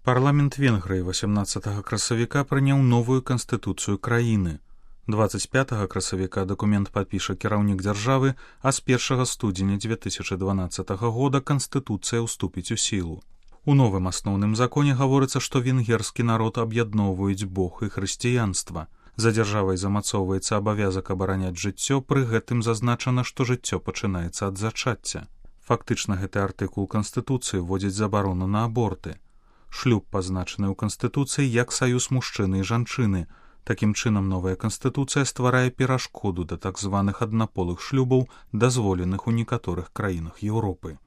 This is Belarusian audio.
Парламент Венгрыі 18 красавіка прыняў новую канстытуцыю краіны. 25 красавіка дакумент падпіша кіраўнік дзяржавы, а з 1 студзеня 2012 года канстытуцыя ўступіць у сілу. У новым асноўным законе гаворыцца, што венгерскі народ аб'ядноўваюць Бог і хрысціянства. За дзяржавай замацоўваецца абавязак абараняць жыццё, пры гэтым зазначана, што жыццё пачынаецца ад зачацця. Фактычна гэты артыкул канстытуцыі вводзіць забарону на аборты. Шлюб пазначаны ў канстытуцыі як саюз мужчыны і жанчыны. Такім чынам, новая канстытуцыя стварае перашкоду да так званых аднаполых шлюбаў, дазволеных у некаторых краінах Еўропы.